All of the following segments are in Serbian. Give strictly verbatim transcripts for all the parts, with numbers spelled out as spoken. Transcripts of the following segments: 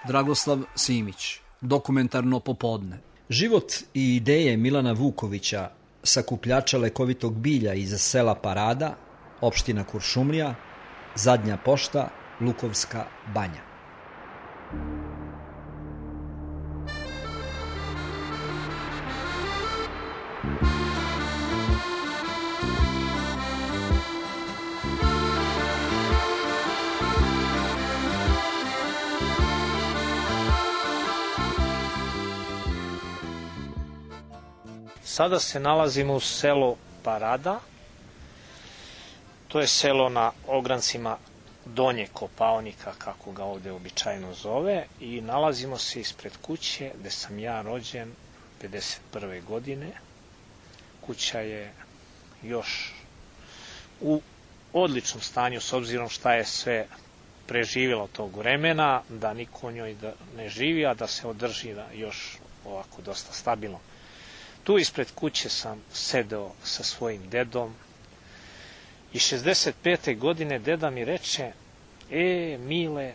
Dragoslav Simić, Dokumentarno popodne. Život i ideje Milana Vukovića, sakupljača lekovitog bilja iz sela Parada, opština Kuršumlija, Zadnja pošta, Lukovska banja. Sada se nalazimo u selu Parada. To je selo na ograncima Donje Kopaonika, kako ga ovde običajno zove, i nalazimo se ispred kuće gde sam ja rođen pedeset prve godine. Kuća je još u odličnom stanju, s obzirom šta je sve preživjelo tog vremena, da niko u njoj ne živi, a da se održi još ovako dosta stabilno. Tu ispred kuće sam sedeo sa svojim dedom i šezdeset pete godine deda mi reče: e, Mile,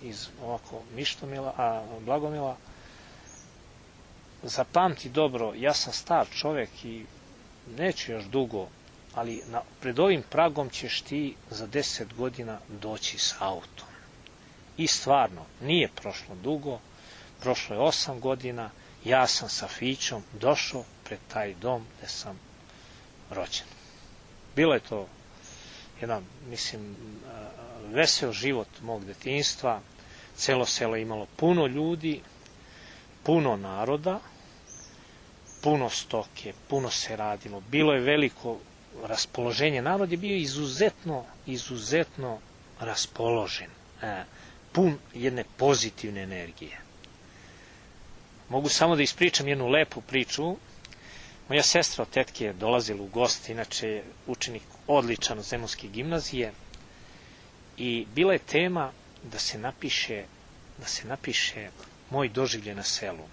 iz ovako Mištomila, a Blagomila, zapamti dobro, ja sam star čovek i neću još dugo, ali na, pred ovim pragom ćeš ti za deset godina doći s autom. I stvarno, nije prošlo dugo, prošlo je osam godina, ja sam sa Fićom došao pred taj dom gde sam rođen. Bilo je to jedan, mislim, veseo život mog detinjstva. Celo selo je imalo puno ljudi, puno naroda, puno stoke, puno se radilo. Bilo je veliko raspoloženje. Narod je bio izuzetno, izuzetno raspoložen. Pun jedne pozitivne energije. Mogu samo da ispričam jednu lepu priču. Moja sestra od tetke je dolazila u goste, inače je učenik odličan od Zemunske gimnazije, i bila je tema da se napiše, da se napiše moj doživljaj na selu.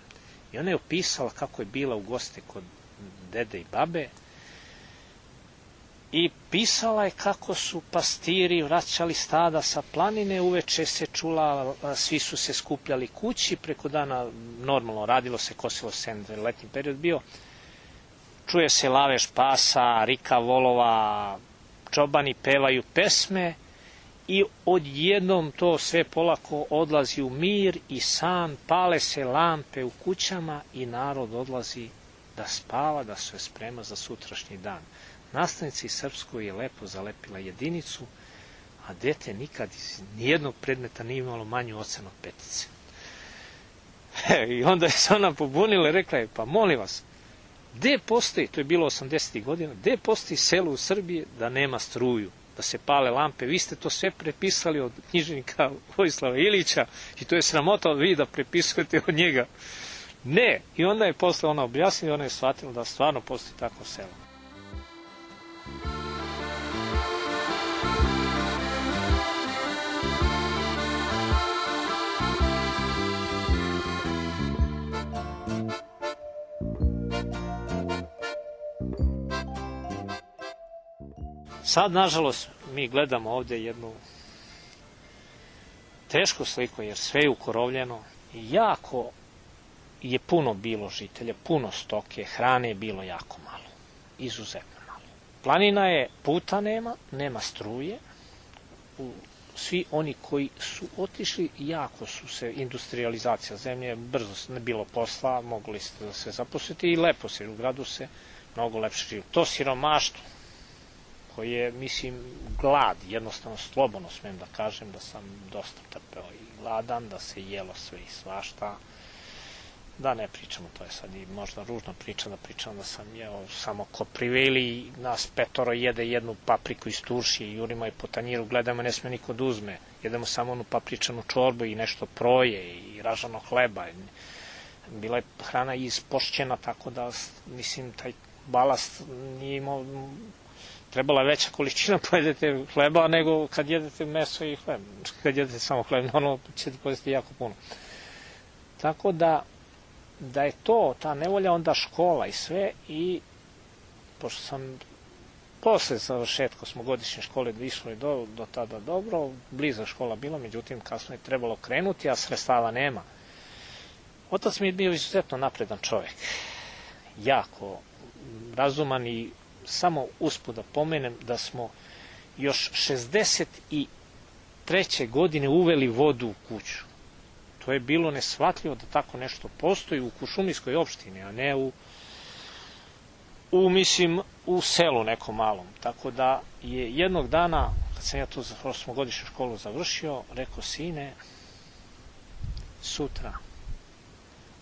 I ona je opisala kako je bila u goste kod dede i babe i pisala je kako su pastiri vraćali stada sa planine, uveče se čula, svi su se skupljali kući, preko dana normalno radilo se, kosilo se, letnji period bio, čuje se lavež pasa, rika volova, čobani pevaju pesme i odjednom to sve polako odlazi u mir i san, pale se lampe u kućama i narod odlazi da spava, da se sprema za sutrašnji dan. Nastavnici srpskoj je lepo zalepila jedinicu, a dete nikad iz nijednog predmeta nije imalo manju ocenu od petice. I onda je se ona pobunila i rekla je: pa molim vas, gde postoji, to je bilo osamdesetih godina, gde postoji selo u Srbiji da nema struju, da se pale lampe? Vi ste to sve prepisali od književnika Vojislava Ilića i to je sramota od vi da prepisujete od njega. Ne. I onda je posle ona objasnila i ona je shvatila da stvarno postoji takvo selo. Sad, nažalost, mi gledamo ovde jednu tešku sliku, jer sve je ukorovljeno i jako je puno bilo žitelja, puno stoke, hrane je bilo jako malo, izuzetno malo. Planina je, puta nema, nema struje, svi oni koji su otišli, jako su se, industrializacija zemlje, brzo ne bilo posla, mogli ste da se zaposliti i lepo se, u gradu se mnogo lepše živi. To siromaštvo, koji je, mislim, glad, jednostavno slobodno smem da kažem da sam dosta trpeo i gladan, da se jelo sve i svašta, da ne pričamo, to je sad i možda ružna priča da pričam da sam jeo samo koprive ili nas petoro jede jednu papriku iz turšije i jurimo je po tanjiru, gledamo, ne sme niko da uzme, jedemo samo onu papričanu čorbu i nešto proje i ražano hleba. Bila je hrana ispošćena, tako da, mislim, taj balast nije imao. Trebala je veća količina pojedete hleba nego kad jedete meso i hleb. Kad jedete samo hleb, normalno ćete pojesti jako puno. Tako da, da je to, ta nevolja, onda škola i sve, i pošto sam Posle završetka osmogodišnje škole išlo je do, do tada dobro, bliza škola bila, međutim kasno je trebalo krenuti, a sredstava nema. Otac mi je bio izuzetno napredan čovjek, jako razuman i samo usput da pomenem da smo još šezdeset treće godine uveli vodu u kuću. To je bilo neshvatljivo da tako nešto postoji u Kuršumlijskoj opštini, a ne u, u mislim, u selu nekom malom. Tako da je jednog dana, kad sam ja tu za osmogodišnju školu završio, rekao, sine, sutra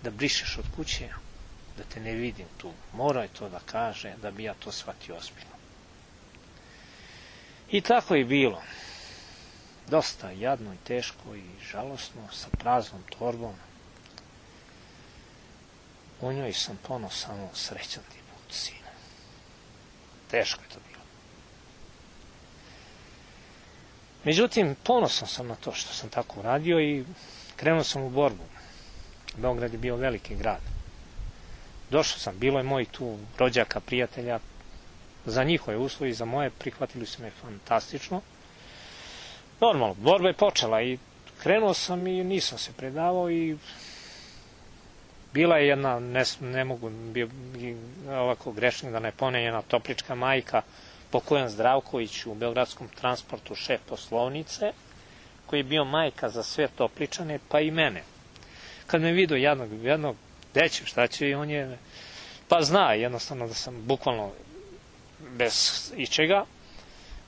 da brišeš od kuće, da te ne vidim tu. Morao je to da kaže, da bi ja to shvatio ozbiljno. I tako je bilo. Dosta jadno i teško i žalosno, sa praznom torbom. U njoj sam pono samo srećan ti put, sine. Teško je to bilo. Međutim, ponosan sam na to što sam tako uradio i krenuo sam u borbu. Beograd je bio veliki grad. Došao sam, bilo je moj tu rođaka, prijatelja, za njihove uslovi, za moje, prihvatili su me fantastično. Normalno, borba je počela i krenuo sam i nisam se predavao i bila je jedna, ne, ne mogu, bio ovako grešnik da ne ponem, jedna toplička majka, Pokojan Zdravković u Beogradskom transportu, šef poslovnice, koji je bio majka za sve Topličane, pa i mene. Kad me vidio jednog, jednog deće, šta će, i on je, pa zna jednostavno da sam bukvalno bez ičega,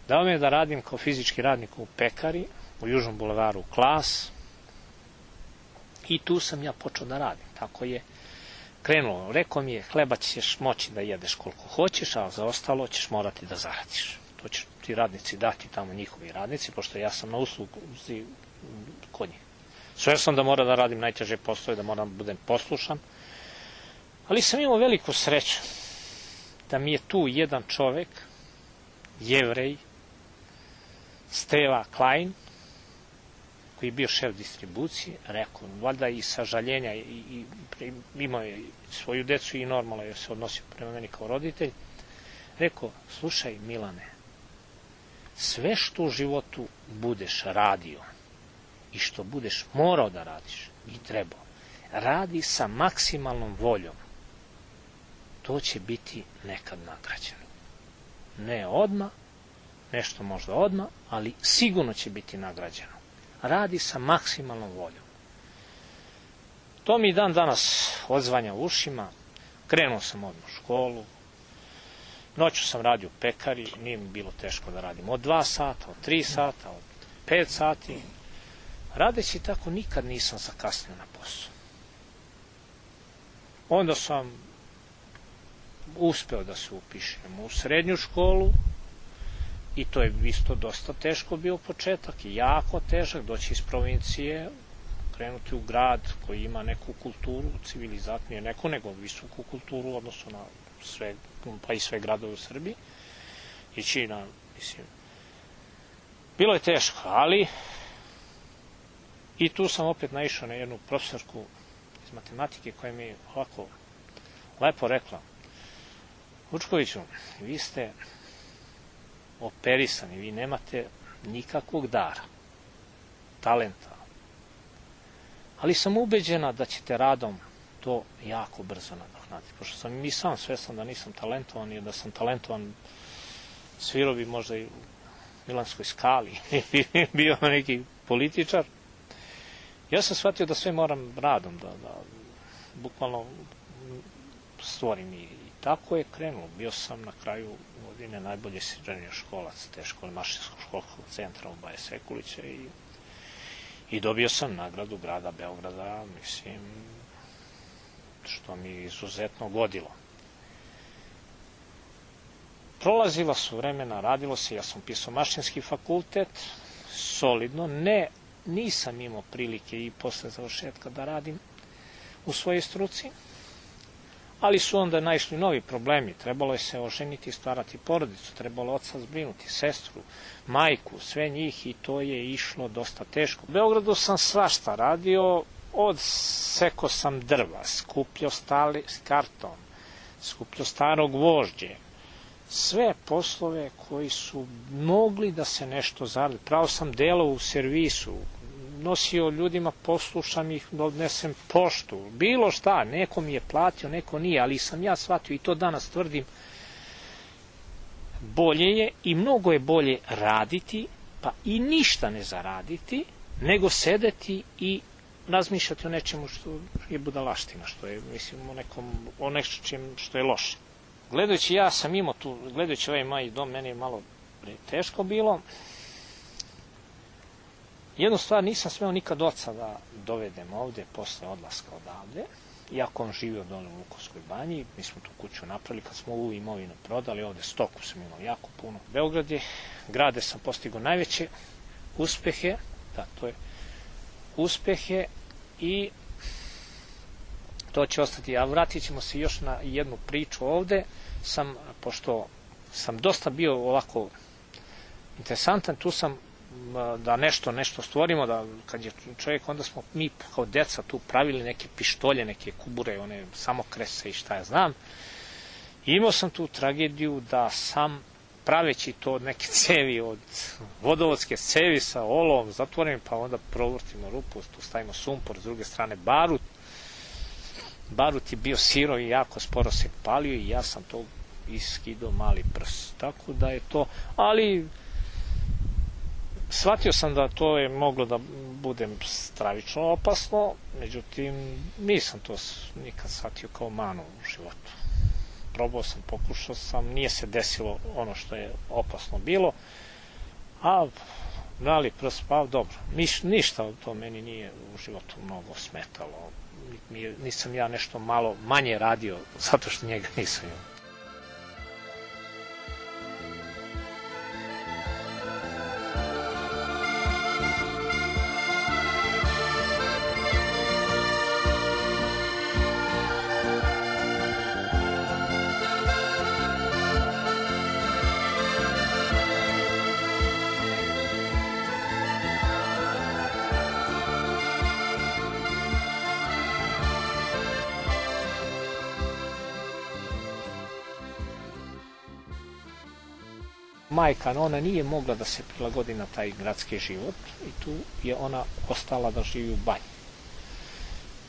dao me da radim kao fizički radnik u pekari, u Južnom bulevaru Klas, i tu sam ja počeo da radim. Tako je krenulo. Rekao mi je, hleba ćeš moći da jedeš koliko hoćeš, a za ostalo ćeš morati da zaradiš. To će ti radnici dati tamo, njihovi radnici, pošto ja sam na usluzi kod njih. Sve sam da mora da radim najteže poslove, da moram da budem poslušan, ali sam imao veliku sreću da mi je tu jedan čovek, Jevrej, Steva Klein, koji je bio šef distribucije, rekao, valjda i sažaljenja, i, i, i imao je svoju decu i normalno je se odnosio prema meni kao roditelj, rekao, slušaj Milane, sve što u životu budeš radio i što budeš morao da radiš i trebao, radi sa maksimalnom voljom, to će biti nekad nagrađeno. Ne odmah, nešto možda odmah, ali sigurno će biti nagrađeno. Radi sa maksimalnom voljom. To mi dan danas odzvanja u ušima. Krenuo sam odmah u školu. Noću sam radio u pekari. Nije mi bilo teško da radim od dva sata, od tri sata, od pet sati. Radeći tako nikad nisam zakasnio na posao. Onda sam uspeo da se upišem u srednju školu i to je isto dosta teško bio početak i jako težak, doći iz provincije, krenuti u grad koji ima neku kulturu, civilizat, nije neku, nego visoku kulturu u odnosu na sve, pa i sve gradove u Srbiji. Ići na, mislim, bilo je teško, ali i tu sam opet naišao na jednu profesorku iz matematike koja mi je ovako lepo rekla, Vučkoviću, vi ste operisani, vi nemate nikakvog dara, talenta, ali sam ubeđena da ćete radom to jako brzo nadoknaditi, pošto sam i sam svestan da nisam talentovan i da sam talentovan, svirao bi možda i u Milanskoj Skali, bio neki političar. Ja sam shvatio da sve moram radom, da, da bukvalno stvorim i tako je krenulo. Bio sam na kraju godine najbolji srednjoškolac te škole, Mašinskog školskog centra u Baje Sekulića i, i dobio sam nagradu grada Beograda, mislim, što mi izuzetno godilo. Prolazila su vremena, radilo se, ja sam pisao mašinski fakultet, solidno, ne, nisam imao prilike i posle završetka da radim u svojoj struci, ali su onda naišli novi problemi. Trebalo je se oženiti i stvarati porodicu, trebalo oca zbrinuti, sestru, majku, sve njih i to je išlo dosta teško. U Beogradu sam svašta radio, od seko sam drva, skupljao stali karton, skupljao staro gvožđe, sve poslove koji su mogli da se nešto zaradi. Pravo sam delao u servisu, nosio ljudima, poslušam ih, da odnesem poštu, bilo šta, neko mi je platio, neko nije, ali sam ja shvatio i to danas tvrdim, bolje je i mnogo je bolje raditi, pa i ništa ne zaraditi, nego sedeti i razmišljati o nečemu što je budalaština, što je, mislim, o nekom, o nečem što je loše. Gledajući, ja sam imao tu, gledajući ovaj moj dom, meni je malo teško bilo. Jednu stvar, nisam smeo nikad oca da dovedem ovde posle odlaska odavde, iako on živio dole u Vukovskoj banji. Mi smo tu kuću napravili, kad smo ovu imovinu prodali, ovde stoku sam imao jako puno. Beograd je, grade sam postigao najveće uspehe, da, to je uspehe i to će ostati. A vratit ćemo se još na jednu priču ovde. Sam, pošto sam dosta bio ovako interesantan, tu sam da nešto, nešto stvorimo, da kad je čovjek, onda smo mi kao deca tu pravili neke pištolje, neke kubure, one samokrese i šta ja znam. I imao sam tu tragediju da sam, praveći to od neke cevi, od vodovodske cevi sa olovom zatvorenim, pa onda provrtimo rupu, tu stavimo sumpor, s druge strane barut. Barut je bio sirov i jako sporo se palio i ja sam to iskidao mali prst. Tako da je to, ali shvatio sam da to je moglo da bude stravično opasno, međutim nisam to nikad shvatio kao manu u životu. Probao sam, pokušao sam, nije se desilo ono što je opasno bilo, a mali prst, pa dobro, Niš, ništa to meni nije u životu mnogo smetalo. Nisam ja nešto malo manje radio, zato što njega nisam imao. Majka, ona nije mogla da se prilagodi na taj gradski život i tu je ona ostala da živi u banji.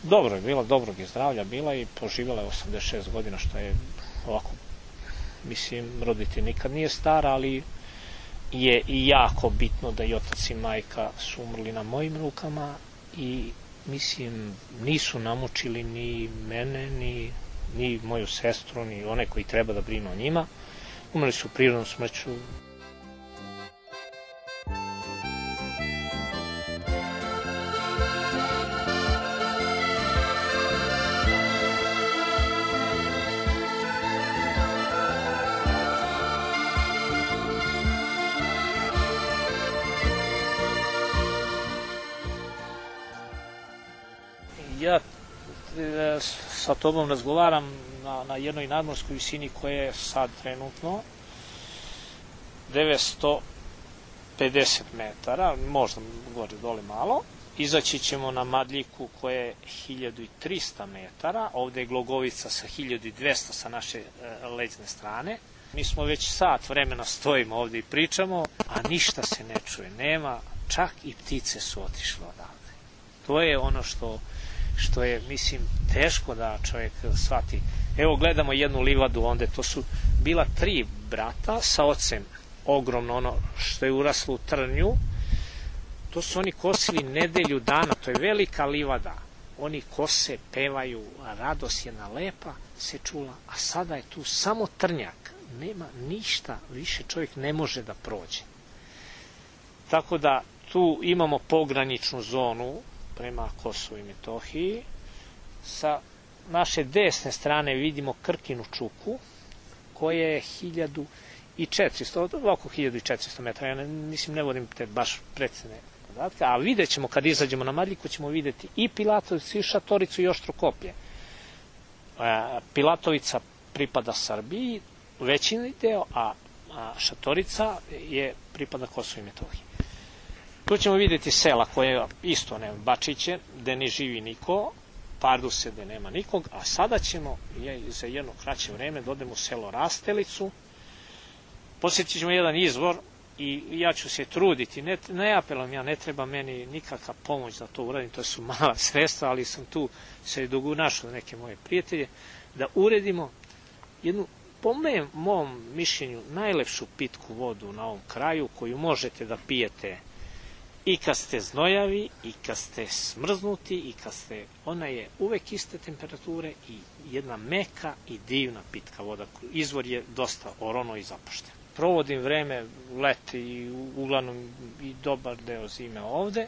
Dobro je bila, dobrog je zdravlja bila i poživjela je osamdeset šest godina, što je ovako, mislim, roditelj nikad nije stara, ali je i jako bitno da i otac i majka su umrli na mojim rukama i, mislim, nisu namučili ni mene, ni, ni moju sestru, ni one koji treba da brinu o njima. Umrli su prirodnom smrću. Ja sa tobom razgovaram na, na jednoj nadmorskoj visini koja je sad trenutno devetsto pedeset metara, možda gore dole malo. Izaći ćemo na Madljiku koja je hiljadu trista metara, ovde je Glogovica sa hiljadu dvesta sa naše e, leđne strane. Mi smo već sat vremena stojimo ovde i pričamo, a ništa se ne čuje, nema, čak i ptice su otišle odavde. To je ono što što je, mislim, teško da čovjek shvati. Evo, gledamo jednu livadu, onda to su bila tri brata sa ocem, ogromno ono što je uraslo u trnju. To su oni kosili nedelju dana, to je velika livada. Oni kose, pevaju, radost jedna lepa se čula, a sada je tu samo trnjak. Nema ništa, više čovjek ne može da prođe. Tako da tu imamo pograničnu zonu prema Kosovu i Metohiji. Sa naše desne strane vidimo Krkinu čuku, koja je hiljadu četiristo, oko hiljadu četiristo metara. Ja ne, mislim, ne vodim te baš precizne podatke, a vidjet ćemo, kad izađemo na Madljiku, ćemo vidjeti i Pilatovicu, i Šatoricu, i Oštrokoplje. Pilatovica pripada Srbiji, većini deo, a Šatorica je pripada Kosovu i Metohiji. Tu ćemo vidjeti sela koje isto nema, Bačiće, gde ne živi niko, Parduse, gde nema nikog, a sada ćemo za jedno kraće vreme da odemo u selo Rastelicu, Posjetit ćemo jedan izvor i ja ću se truditi, ne, ne apelujem ja, ne treba meni nikakva pomoć da to uradim, to su mala sredstva, ali sam tu se dugo našao neke moje prijatelje, da uredimo jednu, po mom mišljenju, najlepšu pitku vodu na ovom kraju, koju možete da pijete i kad ste znojavi, i kad ste smrznuti, i kad ste, ona je uvek iste temperature i jedna meka i divna pitka voda. Izvor je dosta orono i zapušten. Provodim vreme, leti i uglavnom i dobar deo zime ovde.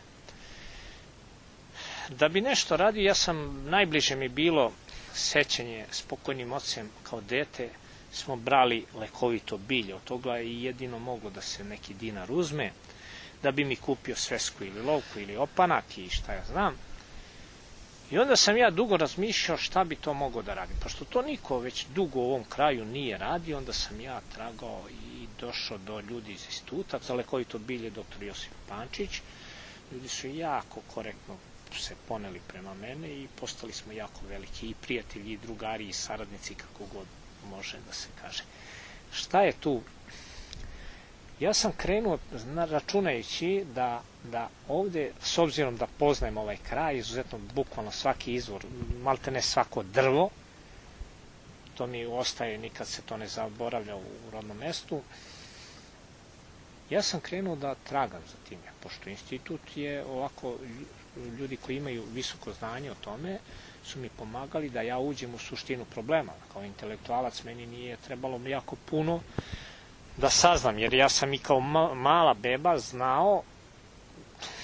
Da bi nešto radio, ja sam, najbliže mi bilo sećanje s pokojnim ocem kao dete, smo brali lekovito bilje, od toga je jedino moglo da se neki dinar uzme, da bi mi kupio svesku ili lovku ili opanak i šta ja znam. I onda sam ja dugo razmišljao šta bi to mogao da radim. Pošto to niko već dugo u ovom kraju nije radio, onda sam ja tragao i došao do ljudi iz instituta za lekovito bilje, doktor Josip Pančić. Ljudi su jako korektno se poneli prema mene i postali smo jako veliki i prijatelji, i drugari, i saradnici, kako god može da se kaže. Šta je tu? Ja sam krenuo računajući da, da ovde, s obzirom da poznajem ovaj kraj, izuzetno bukvalno svaki izvor, malte ne svako drvo, to mi ostaje, nikad se to ne zaboravlja u rodnom mestu, ja sam krenuo da tragam za tim, pošto institut je ovako, ljudi koji imaju visoko znanje o tome, su mi pomagali da ja uđem u suštinu problema. Kao intelektualac meni nije trebalo jako puno da saznam, jer ja sam i kao mala beba znao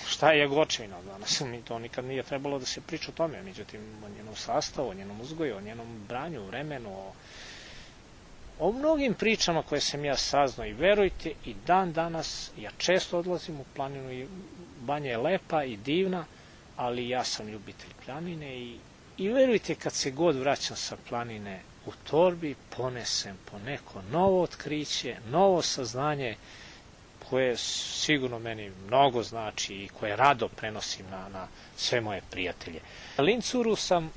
šta je jagočevina. Danas mi to nikad nije trebalo da se priča o tome, međutim o njenom sastavu, o njenom uzgoju, o njenom branju, vremenu, o, o mnogim pričama koje sam ja saznao i verujte, i dan danas ja često odlazim u planinu i banja je lepa i divna, ali ja sam ljubitelj planine i, i verujte, kad se god vraćam sa planine, u torbi ponesem po neko novo otkriće, novo saznanje koje sigurno meni mnogo znači i koje rado prenosim na, na sve moje prijatelje. Lincuru sam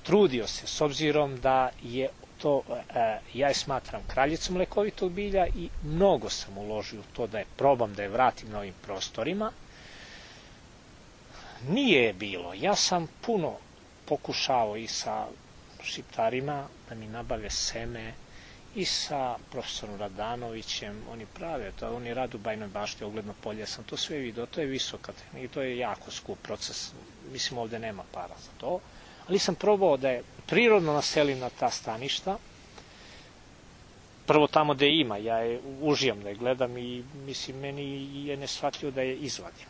trudio se, s obzirom da je to, e, ja je smatram kraljicom lekovitog bilja i mnogo sam uložio u to da je probam da je vratim na ovim prostorima. Nije je bilo. Ja sam puno pokušao i sa šiptarima da mi nabave seme i sa profesorom Radanovićem, oni prave, to, oni rade u Bajnoj Bašti, ogledno polje, ja sam to sve vidio, to je visoka tehnika i to je jako skup proces, mislim ovde nema para za to, ali sam probao da je prirodno naselim na ta staništa, prvo tamo gde ima, ja je užijam da je gledam i mislim, meni je neshvatljivo da je izvadim.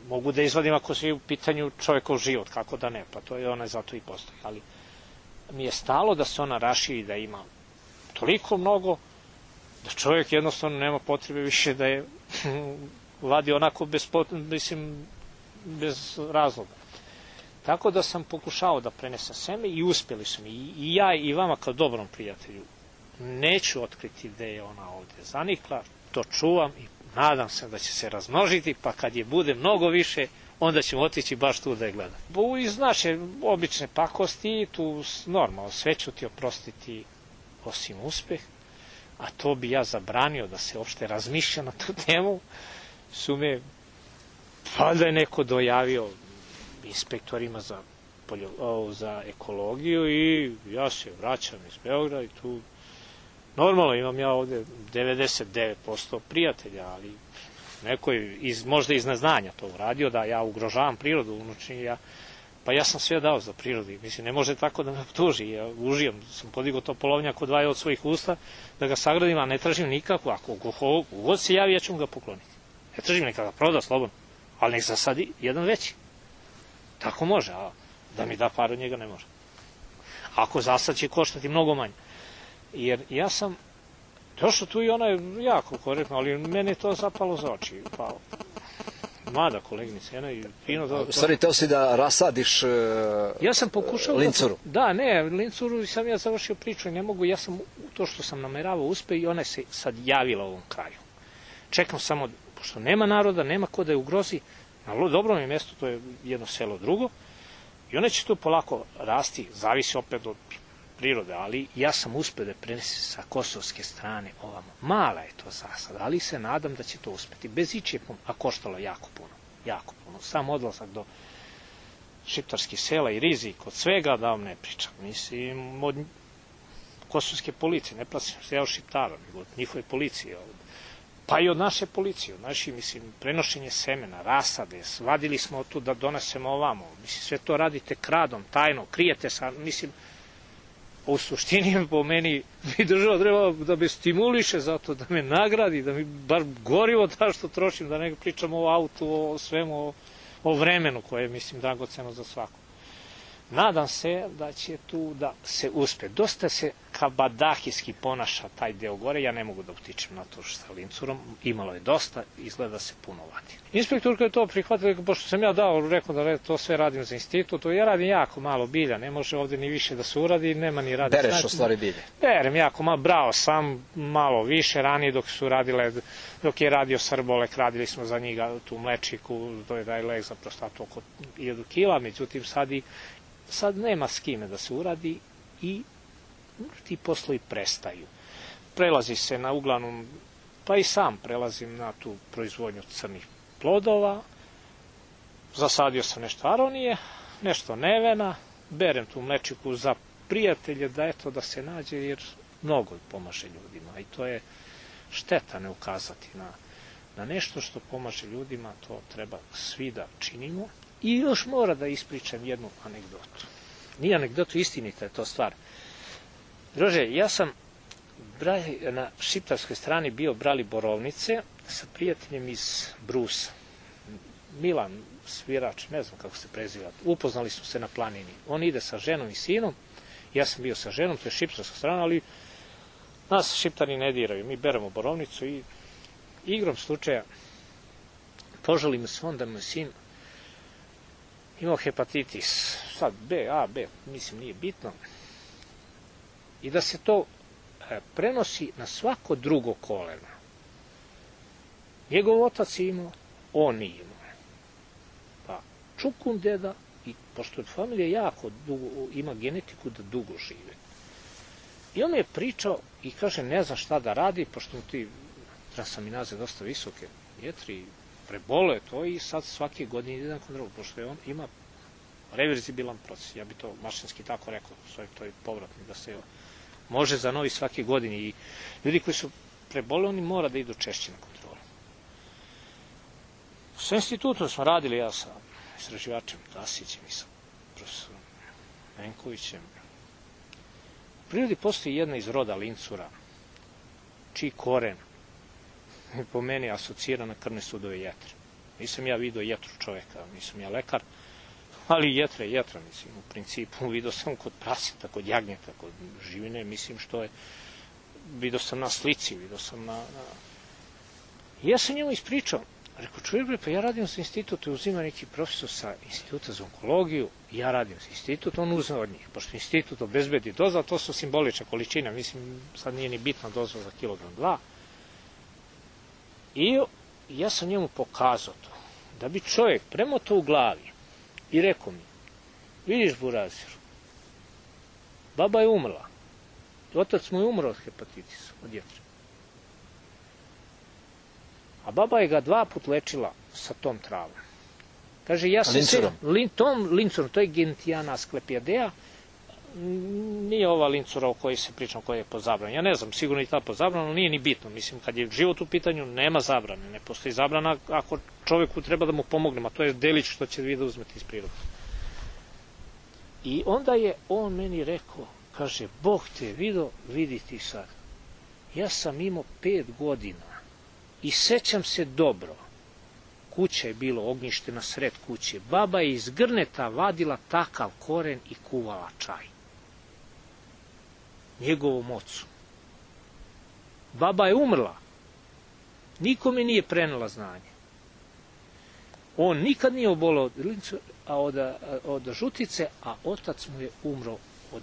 Mogu da izvadim ako se u pitanju čovjekov život, kako da ne, pa to je ona zato i postoji, ali mi je stalo da se ona raširi, da ima toliko mnogo, da čovjek jednostavno nema potrebe više da je vadi onako bez, mislim, bez razloga. Tako da sam pokušao da prenesem seme i uspjeli su mi. I ja i vama kao dobrom prijatelju neću otkriti gde je ona ovdje zanikla, to čuvam i nadam se da će se razmnožiti, pa kad je bude mnogo više, onda ćemo otići baš tu da je gledam. Iz naše obične pakosti, tu normalno sve ću ti oprostiti osim uspeh, a to bi ja zabranio da se uopšte razmišlja na tu temu, su me, valjda je neko dojavio inspektorima za, poljo, o, za ekologiju i ja se vraćam iz Beograda i tu normalno imam ja ovde devedeset devet posto prijatelja, ali neko je iz, možda iz neznanja to uradio, da ja ugrožavam prirodu unučni, ja, pa ja sam sve dao za prirodu, mislim, ne može tako da me optuži, ja užijam, sam podigao to polovnjak od dvaje od svojih usta, da ga sagradim, a ne tražim nikako, ako god se javi, ja ću mu ga pokloniti. Ne tražim nekada, proda slobodno, ali nek zasadi jedan veći. Tako može, a da mi da par od njega ne može. Ako zasad će koštati mnogo manje. Jer ja sam došao tu i ona je jako korektna, ali mene je to zapalo za oči. Pa, mlada koleginica, jedna i fino da... Stvari, teo si da rasadiš uh, ja sam pokušao lincuru. Da, da, ne, lincuru sam ja završio priču i ne mogu, ja sam to što sam nameravao uspe i ona se sad javila u ovom kraju. Čekam samo, pošto nema naroda, nema ko da je ugrozi, na dobrom je mjestu, to je jedno selo drugo, i ona će tu polako rasti, zavisi opet od prirode, ali ja sam uspio da prenesem sa kosovske strane ovamo. Mala je to zasada, ali se nadam da će to uspeti. Bez ičije, a koštalo jako puno, jako puno. Sam odlazak do šiptarskih sela i rizik od svega, da vam ne pričam. Mislim, od kosovske policije, ne plasim se ja od Šiptara, nego od njihove policije, pa i od naše policije, od naši, mislim, prenošenje semena, rasade, vadili smo tu da donesemo ovamo, mislim, sve to radite kradom, tajno, krijete sa, mislim, u suštini po meni mi država treba da me stimuliše zato, da me nagradi, da mi bar gorivo da što trošim, da ne pričamo o autu, o svemu, o, o vremenu koje je, mislim, dragoceno za svako. Nadam se da će tu da se uspe. Dosta se kabadahijski ponaša taj deo gore, ja ne mogu da utičem na to što sa lincurom, imalo je dosta, izgleda se puno vadi. Inspektorka je to prihvatila, pošto sam ja dao, rekao da to sve radim za institut, ja radim jako malo bilja, ne može ovde ni više da se uradi, nema ni radi. Bereš u stvari bilje? Berem jako malo, brao sam malo više ranije dok su radile, dok je radio Srbolek, radili smo za njega tu mlečiku, to je taj lek za prostatu oko hiljadu kila, međutim sad i sad nema s kime da se uradi i ti poslovi prestaju. Prelazi se na uglavnom, pa i sam prelazim na tu proizvodnju crnih plodova, zasadio sam nešto aronije, nešto nevena, berem tu mlečiku za prijatelje da eto da se nađe jer mnogo pomaže ljudima i to je šteta ne ukazati na, na nešto što pomaže ljudima, to treba svi da činimo. I još mora da ispričam jednu anegdotu. Nije anegdotu, istinita je to stvar. Druže, ja sam na šiptarskoj strani bio brali borovnice sa prijateljem iz Brusa. Milan svirač, ne znam kako se preziva, upoznali smo se na planini. On ide sa ženom i sinom, ja sam bio sa ženom, to je šiptarska strana, ali nas šiptari ne diraju. Mi beremo borovnicu i igrom slučaja požali me se on da mu je sin imao hepatitis, sad B, A, B, mislim nije bitno, i da se to prenosi na svako drugo koleno. Njegov otac je imao, on nije imao. Pa čukun deda, i pošto je familija jako dugo, ima genetiku da dugo žive. I on je pričao i kaže ne zna šta da radi, pošto mu ti transaminaze dosta visoke, jetri, prebolo je to i sad svake godine ide na kontrolu, pošto je on ima reverzibilan proces, ja bi to mašinski tako rekao, to je povratni, da se može za novi svake godine i ljudi koji su prebole, oni mora da idu češće na kontrolu. Sa institutom smo radili, ja sa istraživačem Dasićem i sa profesorom Menkovićem. U prirodi postoji jedna iz roda lincura, čiji koren po meni asocira na krvne sudove jetre. Nisam ja vidio jetru čoveka, nisam ja lekar, ali jetra je jetra, mislim, u principu vidio sam kod praseta, kod jagnjeta, kod živine, mislim što je, vidio sam na slici, vidio sam na... na... I ja sam njemu ispričao, rekao, čuj, pa ja radim za institut, uzima neki profesor sa instituta za onkologiju, ja radim za institut, on uzme od njih, pošto institut obezbedi doza, to su simbolična količina, mislim, sad nije ni bitna doza za kilogram dva. I ja sam njemu pokazao to, da bi čovjek premotao u glavi i rekao mi, vidiš Buraziru, baba je umrla, otac mu je umro od hepatitisa, od jetre. A baba je ga dva put lečila sa tom travom. Kaže, ja sam se... Lin, tom lincurom, to je Gentiana asclepiadea, nije ova lincura o kojoj se pričam, koja je po zabrani. Ja ne znam, sigurno i ta po zabranu, nije ni bitno. Mislim, kad je život u pitanju, nema zabrane. Ne postoji zabrana ako čovjeku treba da mu pomognemo, a to je delić što će vi da uzmete iz prirode. I onda je on meni rekao, kaže, Bog te vidio, vidi ti sad. Ja sam imao pet godina i sećam se dobro. Kuća je bilo ognjište na sred kuće. Baba je iz grneta vadila takav koren i kuvala čaj. Njegovom ocu. Baba je umrla. Nikome nije prenela znanje. On nikad nije obolao od, od žutice, a otac mu je umro od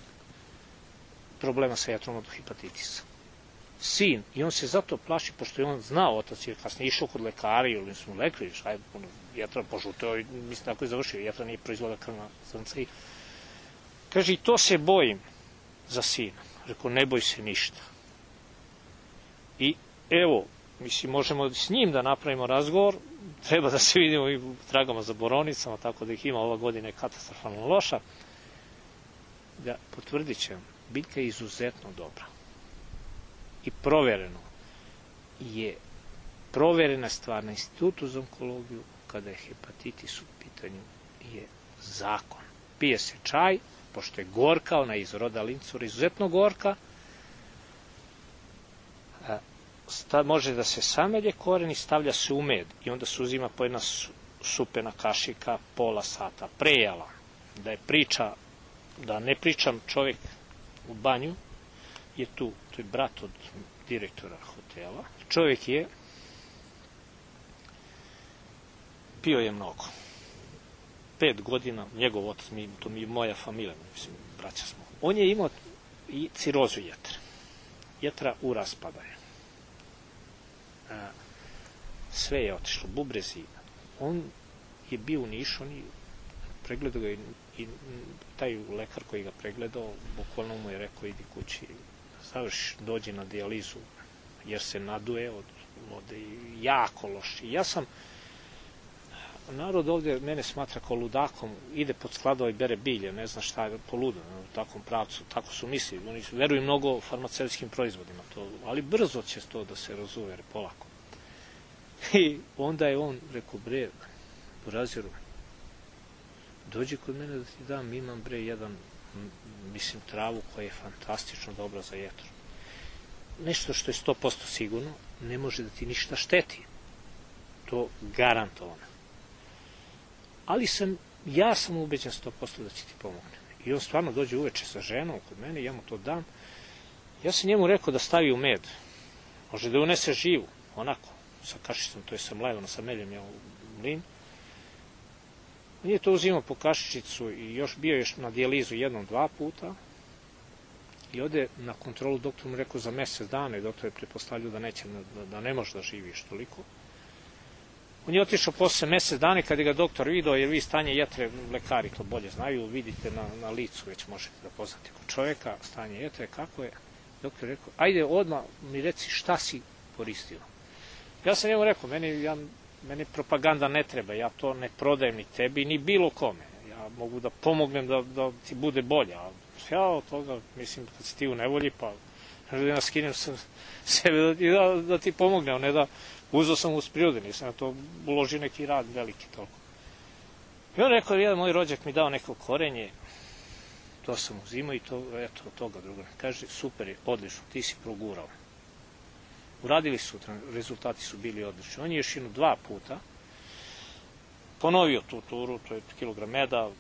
problema sa jetrom od hepatitisa. Sin, i on se zato plaši, pošto je on znao, otac je kasnije išao kod lekara ili su mu lekli, šta je, jetra požuteo i mislim tako je završio, jetra nije proizvoda krvna zrnca i kaže, i to se bojim, za sina. Rekao, ne boj se ništa. I evo, mislim, možemo s njim da napravimo razgovor, treba da se vidimo i u tragama za borovnicama, tako da ih ima ova godina je katastrofalno loša. Da potvrdit će, biljka je izuzetno dobra. I provereno je, proverena stvar na Institutu za onkologiju, kada je hepatitis u pitanju, je zakon. Pije se čaj, pošto je gorka, ona je iz roda lincura, izuzetno gorka, sta, može da se samelje koren i stavlja se u med i onda se uzima po jedna supena kašika pola sata. Prejala, da je priča, da ne pričam, čovjek u banju je tu, to je brat od direktora hotela, čovjek je pio je mnogo. Pet godina, njegov otac, mi, to mi je moja familija, mislim, braća smo. On je imao i cirozu jetre. Jetra u raspadaju. Sve je otišlo, bubrezi. On je bio u Nišu, on je pregledao ga i, i taj lekar koji ga pregledao, bukvalno mu je rekao, idi kući, završi, dođi na dijalizu, jer se naduje od vode i jako loš. I ja sam, narod ovdje mene smatra kao ludakom, ide pod skladova i bere bilje, ne zna šta je poludo u takvom pravcu, tako su mislili, oni veruju mnogo farmaceutskim proizvodima, to, ali brzo će to da se razuvere, polako. I onda je on rekao, bre, Buraziru, dođi kod mene da ti dam, imam bre jedan, mislim, travu koja je fantastično dobra za jetru. Nešto što je sto posto sigurno, ne može da ti ništa šteti. To garantovano. Ali sam, ja sam ubeđen sto posto da će ti pomogne. I on stvarno dođe uveče sa ženom kod mene, ja mu to dam. Ja sam njemu rekao da stavi u med. Može da unese živu, onako, sa kašicom, to je sa mlevano, sa meljem, ja u mlin. On je to uzimao po kašičicu i još bio još na dijalizu jednom, dva puta. I ode na kontrolu, doktor mu rekao za mesec dana i doktor je pretpostavljao da neće, da, da ne može da živiš toliko. On je otišao posle mesec dana kad je ga doktor vidio, jer vi stanje jetre, lekari to bolje znaju, vidite na, na licu, već možete da poznate kod čovjeka, stanje jetre, kako je. Doktor je rekao, ajde odmah mi reci šta si koristio. Ja sam njemu rekao, meni, ja, meni propaganda ne treba, ja to ne prodajem ni tebi, ni bilo kome. Ja mogu da pomognem da, da ti bude bolje, a ja od toga, mislim, kad si ti u nevolji, pa da nas skinem sam sebe da ti, da, da ti pomogne, ne da uzao sam uz prirode, nisam na to uložio neki rad veliki toliko. I on rekao, jedan moj rođak mi dao neko korenje, to sam uzimao i to, eto, od toga druga. Kaže, super je, odlično, ti si progurao. Uradili su, rezultati su bili odlični. On je još jedno dva puta ponovio tu turu, to je kilogram meda,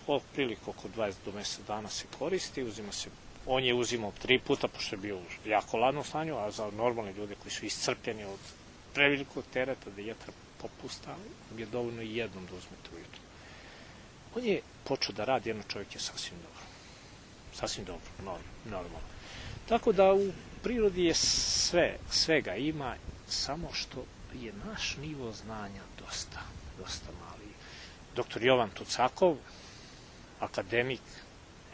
otprilike oko dvadeset do mesec dana se koristi, uzima se, on je uzimao tri puta, pošto je bio u jako ladnom stanju, a za normalne ljude koji su iscrpljeni od prevelikog tereta, da jetra popusta, je dovoljno i jednom da uzmete ujutru. On je počeo da radi, jedno čovjek je sasvim dobro. Sasvim dobro, normalno. Tako da u prirodi je sve, svega ima, samo što je naš nivo znanja dosta, dosta mali. Doktor Jovan Tucakov, akademik,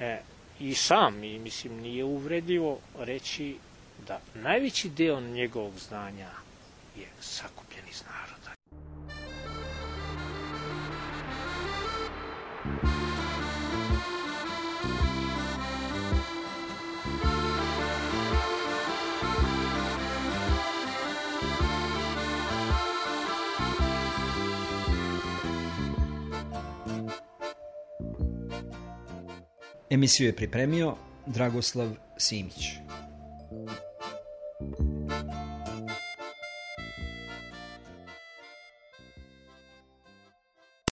e, i sam, i mislim, nije uvredljivo reći da najveći deo njegovog znanja je sakupljen iz naroda. Emisiju je pripremio Dragoslav Simić.